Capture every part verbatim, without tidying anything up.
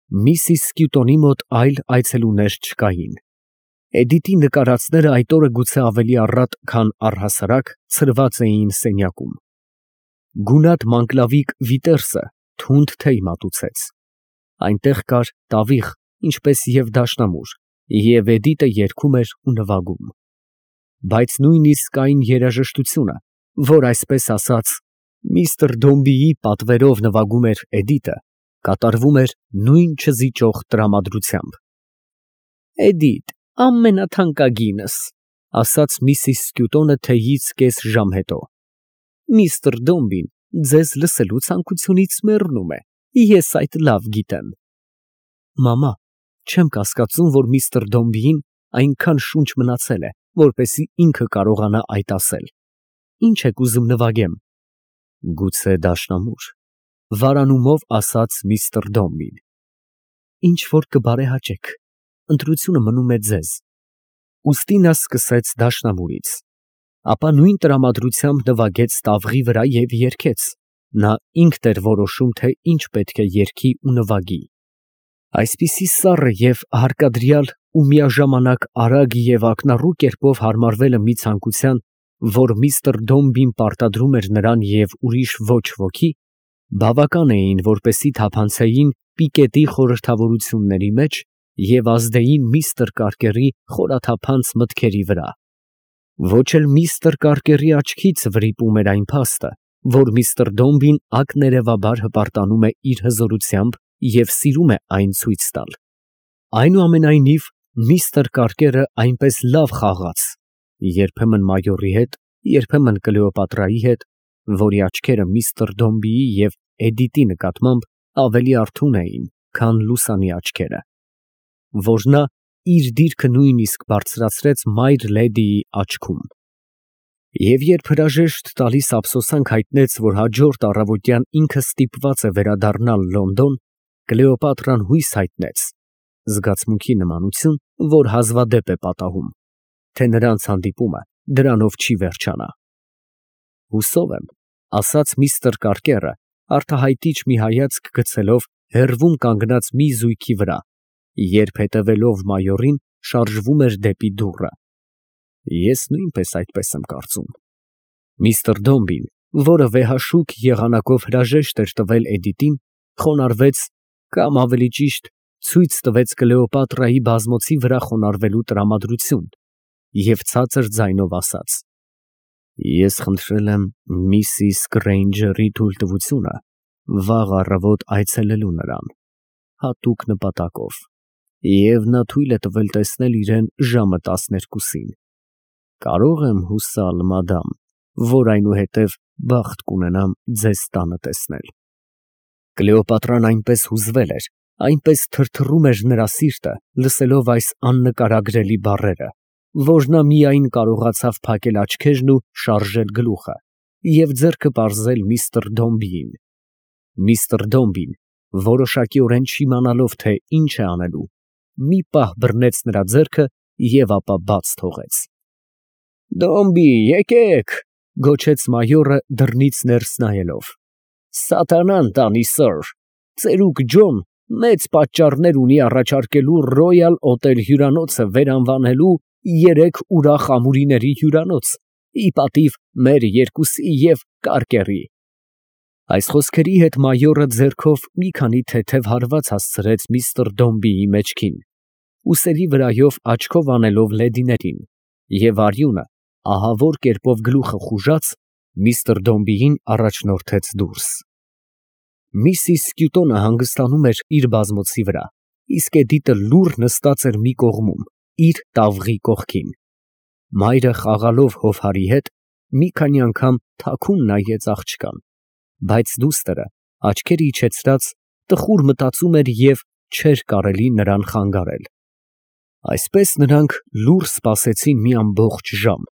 Միսիս Սկյուտոնի մոտ այլ այցելուներ չկային։ Էդիտի նկարածները այդ օրը գուցե ավելի առատ, քան առհասարակ ցրված էին սենյակում։ Գունատ մանկլավիկ Վիտերսը թունդ թեյ մատուցեց։ Այնտեղ կար տավիղ, ինչպես և դաշնամուր, և Էդիտը երգում էր ու նվագում։ Բայց նույնիսկ այն երաժշտությունը, որ այսպես ասած միստր Դոմբիի պատվերով նվագում էր Էդիտը, կատարվում էր նույն չզիջող տրամադրությամբ։ ֊ Էդիթ, ամենաթանկագինս, ֊ ասաց միսիս Սկյուտոնը թեյից կես ժամ հետո, ֊ միստր Դոմբին ձեզ լսելու ցանկությունից մեռնում է, ես այդ լավ գիտեմ։ Մամա, չեմ կասկածում, որ միստր Դոմբիին այնքան շունչ մնացել է, որպեսզի ինքը կարողանա այդ ասել։ Ինչ եք ուզում նվագեմ։ Գուցե դաշնամուր, ֊ վարանումով ասաց միստր Դոմբին։ Ինչ որ կբարեհաճեք, ընտրությունը մնում է ձեզ։ Ուստի նա սկսեց դաշնամուրից, ապա նույն տրամադրությամբ նվագեց տավղի վրա և երգեց։ Նա ինքն էր որոշում, թե ինչ պետք է երգի ու նվագի։ Այսպիսի սառը և հարկադրյալ ու միաժամանակ արագ և ակնառու կերպով հարմարվելը մի ցանկության, որ միստր Դոմբին պարտադրում էր նրան և ուրիշ ոչ ոքի, բավական էին, որպեսզի թափանցեին Պիկետի խորհրդավորությունների մեջ և ազդեին միստր Կարկերի խորաթափանց մտքերի վրա։ Ոչ էլ միստր Կարկերի աչքից վրիպում էր այն փաստը, որ միստր Դոմբին ակներևաբար հպարտանում է իր հզորությամբ և սիրում է այն ցույց տալ։ Այնուամենայնիվ, միստր Կարկերը այնպես լավ խաղաց, երբեմն մայորի հետ, երբեմն Կլեոպատրայի հետ, որի աչքերը միստր Դոմբիի և Էդիտի նկատմամբ ավելի արթուն էին, քան լուսանի աչքերը, որ նա իր դիրքը նույնիսկ բարձրացրեց մայր լեդիի աչքում։ Եվ երբ հրաժեշտ տալիս ափսոսանք հայտնեց, որ հաջորդ առավոտյան ինքը ստիպված է վերադառնալ Լոնդոն, Կլեոպատրան հույս հայտնեց (զգացմունքի նմանություն, որ հազվադեպ է պատահում), թե նրանց հանդիպումը դրանով չի վերջանա։ Հուսով եմ, ֊ ասաց միստր Կարկերը, արտահայտիչ մի հայացք գցելով հեռվում կանգնած մի զույգի վրա, երբ հետևելով մայորին շարժվում էր դեպի դուռը։ Ես նույնպես այդպես եմ կարծում։ Միստր Դոմբին, որը վեհաշուք եղանակով հրաժեշտ էր տվել Էդիտին, խոնարհվեց, կամ ավելի ճիշտ ցույց տվեց Կլեոպատրայի բազմոցի վրա խոնարհվելու տրամադրություն և ցածր ձայնով ասաց. Ես խնդրել եմ միսիս Գրեյնջերի թույլտվությունը վաղ առավոտ այցելելու նրան, հատուկ նպատակով, և նա թույլ է տվել տեսնել իրան ժամը տասներկուսին։ Կարո՞ղ եմ հուսալ, մադամ, որ այնուհետև բախտ կունենամ ձեզ տանը տեսնել։ Կլեոպատրան այնպես հուզվել էր, այնպես թրթռում էր նրա սիրտը, լսելով այս աննկարագրելի բառերը, որ նա միայն կարողացավ փակել աչքերն ու շարժել գլուխը և ձեռքը պարզել միստր Դոմբիին։ Միստր Դոմբին, որոշակիորեն չիմանալով, թե ինչ է անելու, մի պահ բռնեց նրա ձեռքը և ապա բաց թողեց։ Դոմբի, եկեք, ֊ գոչեց մայորը դռնից ներս նայելով։ Սատանան տանի, սըր, ծերուկ Ջոն մեծ պատճառներ ունի առաջարկելու Ռոյալ Օտել հյուրանոցը վերանվանելու երեք ուրախ ամուրիների հյուրանոց, ի պատիվ մեր երկուսի և Կարկերի։ Այս խոսքերի հետ մայորը ձեռքով մի քանի թեթև հարված հասցրեց միստր Դոմբիի մեջքին, ուսերի վրայով աչքով անելով լեդիներին, և արյունը ահավոր կերպով գլուխը խուժած, միստր Դոմբիին առաջնորդեց դուրս։ Միսիս Սկյուտոնը հանգստանում էր իր բազմոցի վրա, իսկ Էդիտը լուռ նստած էր մի կողմում, իր տավղի կողքին։ Մայրը խաղալով հովհարի հետ մի քանի անգամ թաքուն նայեց աղջկան, բայց դուստրը, աչքեր իջեցրած, տխուր մտածում էր և չէր կարելի նրան խանգարել։ Այսպես նրանք լուռ սպասեցին մի ամբողջ ժամ,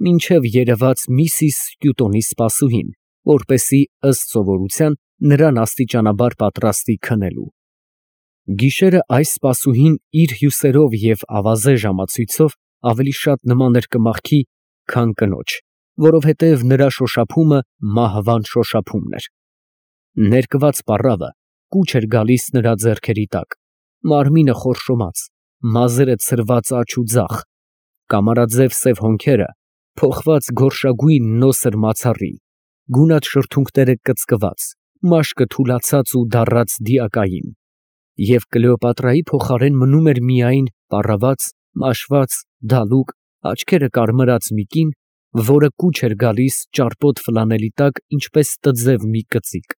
մինչև երևաց միսիս Սկյուտոնի սպասուհին, որպեսզի ըստ սովորության նրան աստիճանաբար պատրաստի քնելու։ Գիշերը այս սպասուհին իր հյուսերով և ավազե ժամացույցով ավելի շատ նման էր կմախքի, քան կնոջ, որովհետև նրա շոշափումը մահվան շոշափումն էր։ Ներկված պառավը կուչ էր գալիս նրա ձեռքերի տակ, մարմինը խորշոմած, մազերը ցրված աջ ու ձախ, կամարաձև սև հոնքերը փոխված գորշագույն նոսր մացառի, գունատ շրթունքները կծկված, մաշկը թուլացած ու դառած դիակային, և Կլեոպատրայի փոխարեն մնում էր միայն պառաված, մաշված, դալուկ, աչքերը կարմրած մի կին, որը կուչ էր գալիս ճարպոտ ֆլանելի տակ, ինչպես տձև մի կծիկ։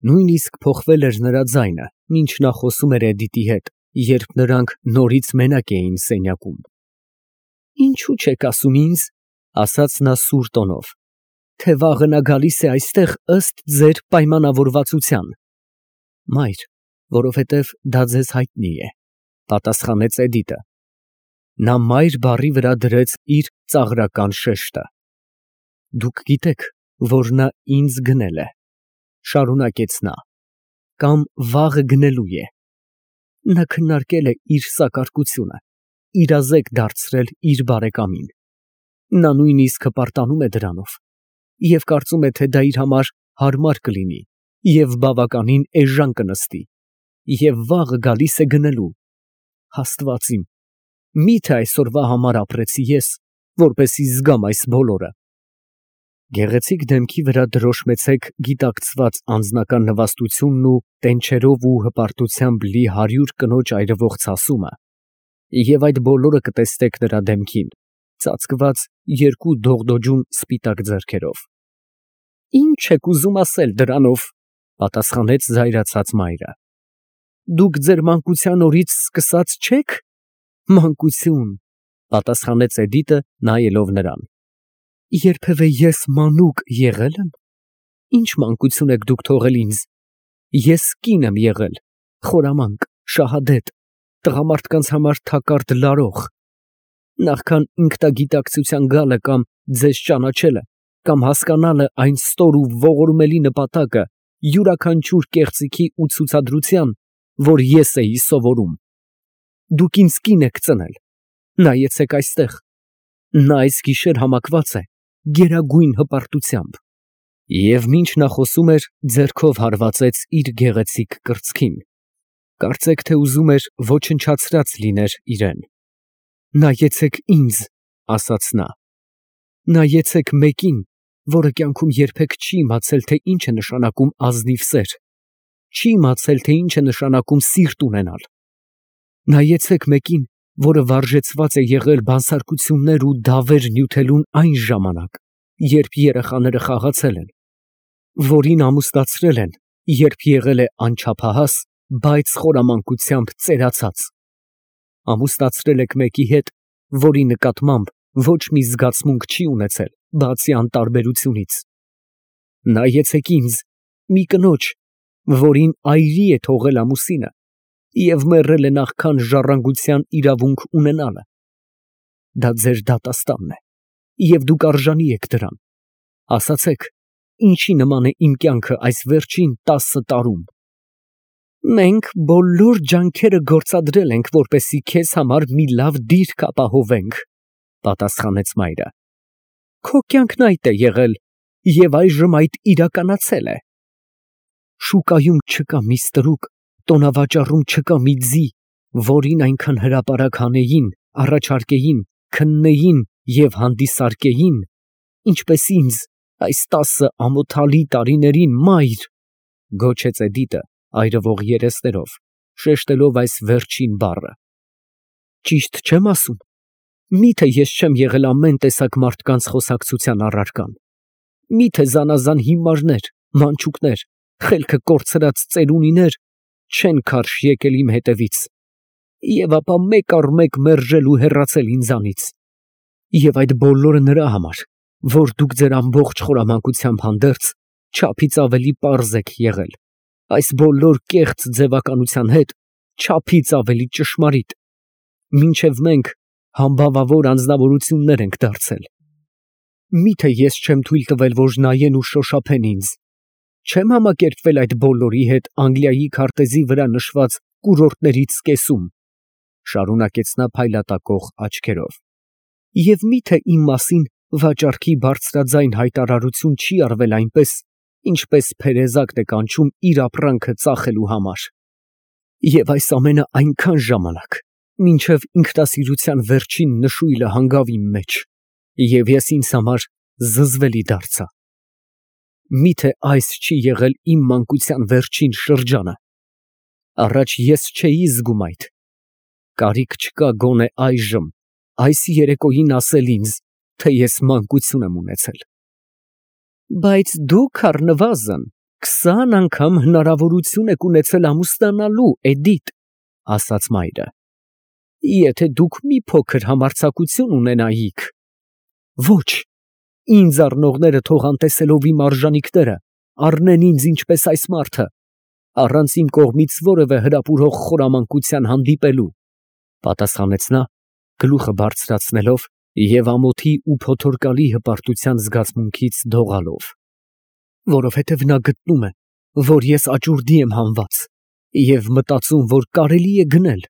Նույնիսկ փոխվել էր նրա ձայնը, ինչ նա խոսում էր Էդիտի հետ, երբ նրանք նորից մենակ էին սենյակում։ «Ինչու չեք ասում ինձ, ֊ ասաց նա սուր տոնով, ֊ թե վաղը նա գալիս է այստեղ ըստ ձեր պայմանավորվածության»։ «Մայր, որովհետև դա ձեզ հայտնի է, ֊ պատասխանեց Էդիտը։ Նա մայր բառի վրա դրեց իր ծաղրական շեշտը։ «Դուք գիտեք, որ նա ինձ գնել է, ֊ շարունակեց նա, ֊ կամ վաղը գնելու է։ Նա քննարկել է իր սակարկությունը, իրազեկ դարձրել իր բարեկամին։ Նա նույնիսկ հպարտանում է դրանով և կարծում է, թե դա իր համար հարմար կլինի և բավականին էժան կնստի, և վաղը գալիս է գնելու։ Աստված իմ, մի՞թե այսօրվա համար ապրեցի ես, որպեսզի զգամ այս բոլորը»։ Գեղեցիկ դեմքի վրա դրոշմեցեք գիտակցված անձնական նվաստությունն ու տենչերով ու հպարտությամբ լի հարյուր կնոջ այրվող ցասումը, և այդ բոլորը կտեսնեք նրա դեմքին, ծածկված երկու դողդոջուն սպիտակ ձեռքերով։ «Ի՞նչ եք ուզում ասել դրանով, ֊ պատասխանեց զայրացած մայրը, ֊ դուք ձեր մանկության օրից սկսած չե՞ք։ Մանկություն, ֊ պատասխանեց Էդիտը, նայելով նրան, ֊ երբևէ ես մանուկ եղե՞լ եմ։ Ի՞նչ մանկություն եք դուք թողել ինձ։ Ես կին եմ եղել, խորամանկ, շահադետ, տղամարդկանց համար թակարդ լարող։ Նախքան ինքնագիտակցության գալը կամ ձեզ ճանաչելը, կամ հասկանալը այն ստոր ու ողորմելի նպատակը յուրաքանչյուր կեղծիքի ու ցուցադրության, որ ես էի սովորում, դուք ինձ կին եք ծնել։ Նայեցեք այստեղ, նա այս գիշեր համակված է գերագույն հպարտությամբ։ Եվ մինչ նա խոսում էր, ձեռքով հարվածեց իր գեղեցիկ կրծքին, կարծեք թե ուզում էր ոչնչացրած լիներ իրան։ «Նայեցեք ինձ, ֊ ասաց նա, ֊ նայեցեք մեկին, որը կյանքում երբեք չի իմացել, թե ինչ է նշանակում ազնիվ սեր, չի իմացել, թե ինչ է նշանակում սիրտ ունենալ։ Նայեցեք մեկին, որը վարժեցված է եղել բանսարկություններ ու դավեր նյութելուն այն ժամանակ, երբ երեխաները խաղացել են, որին ամուսնացրել են, երբ եղել է անչափահաս, բայց խորամանկությամբ ծերացած։ Ամուսնացրել եք մեկի հետ, որի նկատմամբ ոչ մի զգացմունք չի ունեցել, բացի անտարբերությունից։ Նայեցեք ինձ, մի կնոջ, որին այրի է թողել ամուսինը և մեռել է նախքան ժառանգության իրավունք ունենալը։ Դա ձեր դատաստանն է, և դուք արժանի եք դրան։ Ասացեք, ինչի նման է իմ կյանքը այս վերջին տասը տարում։ Մենք բոլոր ջանքերը գործադրել ենք, որպեսզի քեզ համար մի լավ դիրք ապահովենք, ֊ պատասխանեց մայրը։ Քո կյանքն այդ է եղել, և այժմ այդ իրականացել է։ Շուկայում չկա մի ստրուկ, տոնավաճառում չկա մի ձի, որին այնքան հրապարակ հանեին, առաջարկեին, քննեին և հանդիսարկեին, ինչպես ինձ այս տասը ամոթալի տարիներին, մայր, ֊ գոչեց Էդիտը այրվող երեսներով, շեշտելով այս վերջին բառը։ Ճիշտ չե՞մ ասում։ Մի՞թե ես չեմ եղել ամեն տեսակ մարդկանց խոսակցության առարկան։ Մի՞թե զանազան հիմարներ, մանչուկներ, խելքը կորցրած ծերունիներ չեն քարշ եկել իմ հետևից, և ապա մեկ առ մեկ մերժել ու հեռացել ինձանից։ Եվ այդ բոլորը նրա համար, որ դուք ձեր ամբողջ խորամանկությամբ հանդերձ չափից ավելի պարզ եք եղել, այս բոլոր կեղծ ձևականության հետ չափից ավելի ճշմարիտ, մինչև մենք համբավավոր անձնավորություններ ենք դարձել։ Մի՞թե ես չեմ թույլ տվել, որ նայեն ու շոշափեն ինձ, չեմ համակերպվել այդ բոլորի հետ Անգլիայի քարտեզի վրա նշված կուրորտներից կեսում, ֊ շարունակեց նա փայլատակող աչքերով, և մի՞թե իմ մասին վաճառքի բարձրաձայն հայտարարություն չի արվել այնպես, ինչպես փերեզակն է կանչում իր ապրանքը ծախելու համար։ Եվ այս ամենը այնքան ժամանակ, մինչև ինքնասիրության վերջին նշույլը հանգավ իմ մեջ, և ես ինձ համար զզվելի դարձա։ Մի՞թե այս չի եղել իմ մանկության վերջին շրջանը։ Առաջ ես չէի զգում այդ, կարիք չկա գոնե այժմ, այս երեկոյին ասել ինձ, թե ես մանկություն եմ ունեցել։ Բայց դուք առնվազն քսան անգամ հնարավորություն եք ունեցել ամուսնանալու, Էդիթ, ասաց մայրը, եթե դուք մի փոքր համարձակություն ունենայիք։ Ոչ, ինձ առնողները թող անտեսելով իմ արժանիքները, առնեն ինձ ինչպես այս մարդը, առանց իմ կողմից որևէ հրապուրող խորամանկության հանդիպելու, պատասխանեց նա, գլուխը բարձրացնելով և ամոթի ու փոթորկալի հպարտության զգացմունքից դողալով, որովհետև նա գտնում է, որ ես աճուրդի եմ հանված և մտածում, որ կարելի է գնել,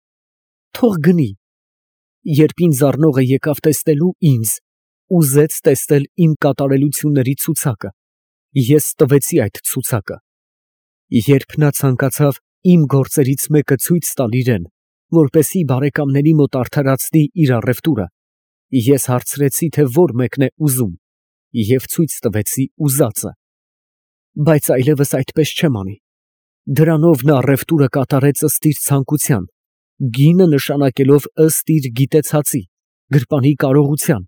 թող գնի։ Երբ ինձ առնողը եկավ տեսնելու ինձ, ուզեց տեսնել իմ կատարելությունների ցուցակը, ես տվեցի այդ ցուցակը։ Երբ նա ցանկացավ իմ գործերից մեկը ցույց տալ իրան, որպեսզի բարեկամների մոտ արդարացնի իր առևտուրը, ես հարցրեցի, թե որ մեկն է ուզում, և ցույց տվեցի ուզածը։ Բայց այլևս այդպես չեմ անի։ Դրանով նա առևտուրը կատարեց ըստ իր ցանկության, գինը նշանակելով ըստ իր գիտեցածի, գրպանի կարողության,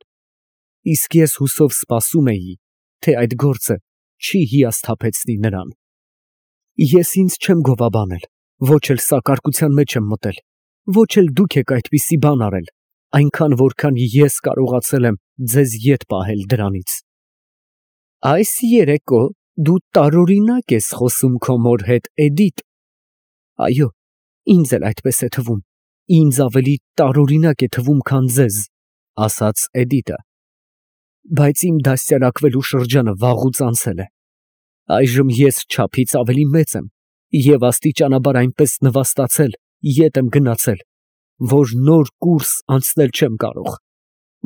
իսկ ես հուսով սպասում էի, թե այդ գործը չի հիասթափեցնի նրան։ Ես ինձ չեմ գովաբանել, ոչ էլ սակարկության մեջ եմ մտել, ոչ էլ դուք եք այդպիսի բան արել, այնքան, որքան ես կարողացել եմ ձեզ ետ պահել դրանից։ Այս երեկո դու տարօրինակ ես խոսում քո մոր հետ, Էդիթ։ Այո, ինձ էլ այդպես է թվում, ինձ ավելի տարօրինակ է թվում, քան ձեզ, ասաց Էդիթը։ Բայց իմ դաստիարակվելու շրջանը վաղուց անցել է։ Այժմ ես չափից ավելի մեծ եմ և աստիճանաբար այնպես նվաստացել, ետ եմ գնացել, որ նոր կուրս անցնել չեմ կարող,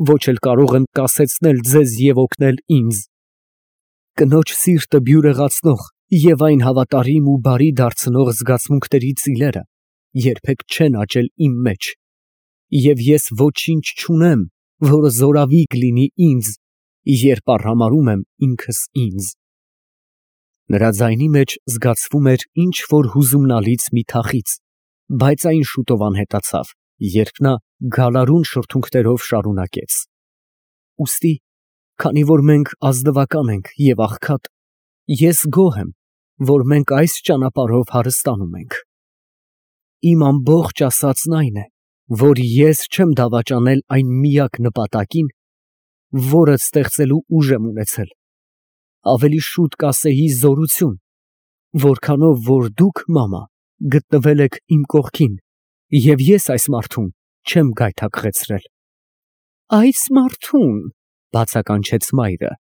ոչ էլ կարող եմ կասեցնել ձեզ և օգնել ինձ։ Կնոջ սիրտը բյուրեղացնող և այն հավատարիմ ու բարի դարձնող զգացմունքների ծիլերը երբեք չեն աճել իմ մեջ, և ես ոչինչ չունեմ, որը զորավիգ լինի ինձ, երբ արհամարհում եմ ինքս ինձ։ Նրա ձայնի մեջ զգացվում էր ինչ֊որ հուզումնալից մի թախիծ, բայց այն շուտով անհետացավ, երբ նա գալարուն շրթունքներով շարունակեց. Ուստի, քանի որ մենք ազնվական ենք և աղքատ, ես գոհ եմ, որ մենք այս ճանապարհով հարստանում ենք։ Իմ ամբողջ ասածն այն է, որ ես չեմ դավաճանել այն միակ նպատակին, որը ստեղծելու ուժ եմ ունեցել, ավելի շուտ կասեի զորություն, որքանով որ դուք, մամա, գտնվել եք իմ կողքին, և ես այս մարդուն չեմ գայթակղեցրել։ Այս մարդո՞ւն, բացականչեց մայրը,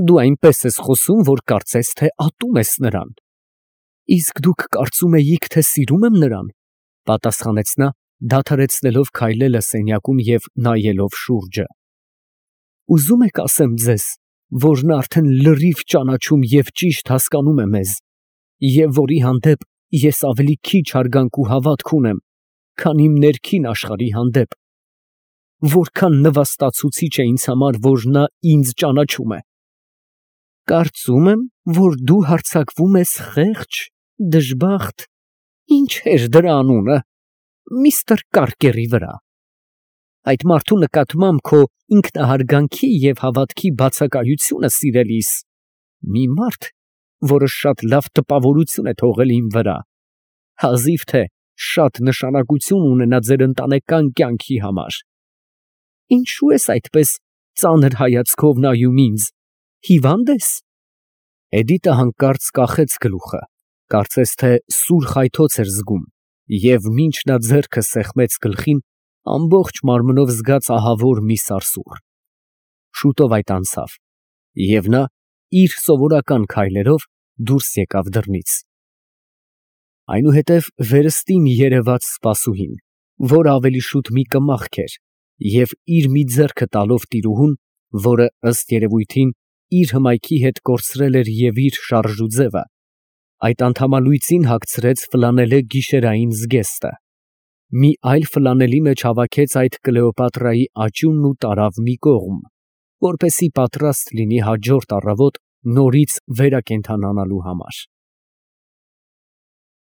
դու այնպես ես խոսում, որ կարծես թե ատում ես նրան։ Իսկ դուք կարծում էիք, թե սիրում եմ նրան, պատասխանեց նա, դադարեցնելով քայլելը սենյակում և նայելով շուրջը։ Ուզում եք ասեմ ձեզ, որ նա արդեն լրիվ ճանաչում և ճիշտ հասկանում է մեզ, և որի հանդեպ ես ավելի քիչ հարգանք ու հավատք ունեմ, քան իմ ներքին աշխարհի հանդեպ, որքան նվաստացուցիչ է ինձ համար, որ նա ինձ ճանաչում է։ Կարծում եմ, որ դու հարձակվում ես խեղճ, դժբախտ, ինչ էր դրա անունը, միստր Կարկերի վրա։ Այդ մարդու նկատմամբ քո ինքնահարգանքի և հավատքի բացակայությունը, սիրելիս, մի մարդ, որը շատ լավ տպավորություն է թողել իմ վրա, հազիվ թե շատ նշանակություն ունենա ձեր ընտանեկան կյանքի համար։ Ինչո՞ւ ես այդպես ծանր հայացքով նայում ինձ, հիվա՞նդ ես։ Էդիտը հանկարծ կախեց գլուխը, կարծես թե սուր խայթոց էր զգում, և մինչ նա ձեռքը սեղմեց գլխին, ամբողջ մարմնով զգաց ահավոր մի սարսուռ։ Շուտով այդ անցավ, և նա իր սովորական քայլերով դուրս եկավ դռնից։ Այնուհետև վերստին երևաց սպասուհին, որ ավելի շուտ մի կմախք էր, և իր մի ձեռքը տալով տիրուհուն, որը ըստ երևույթին իր հմայքի հետ կորցրել էր և իր շարժուձևը, Այդ անդամալույծին հագցրեց ֆլանելե գիշերային զգեստը, մի այլ ֆլանելի մեջ հավաքեց այդ Կլեոպատրայի աճյունն ու տարավ մի կողմ, որպեսզի պատրաստ լինի հաջորդ առավոտ նորից վերակենդանանալու համար։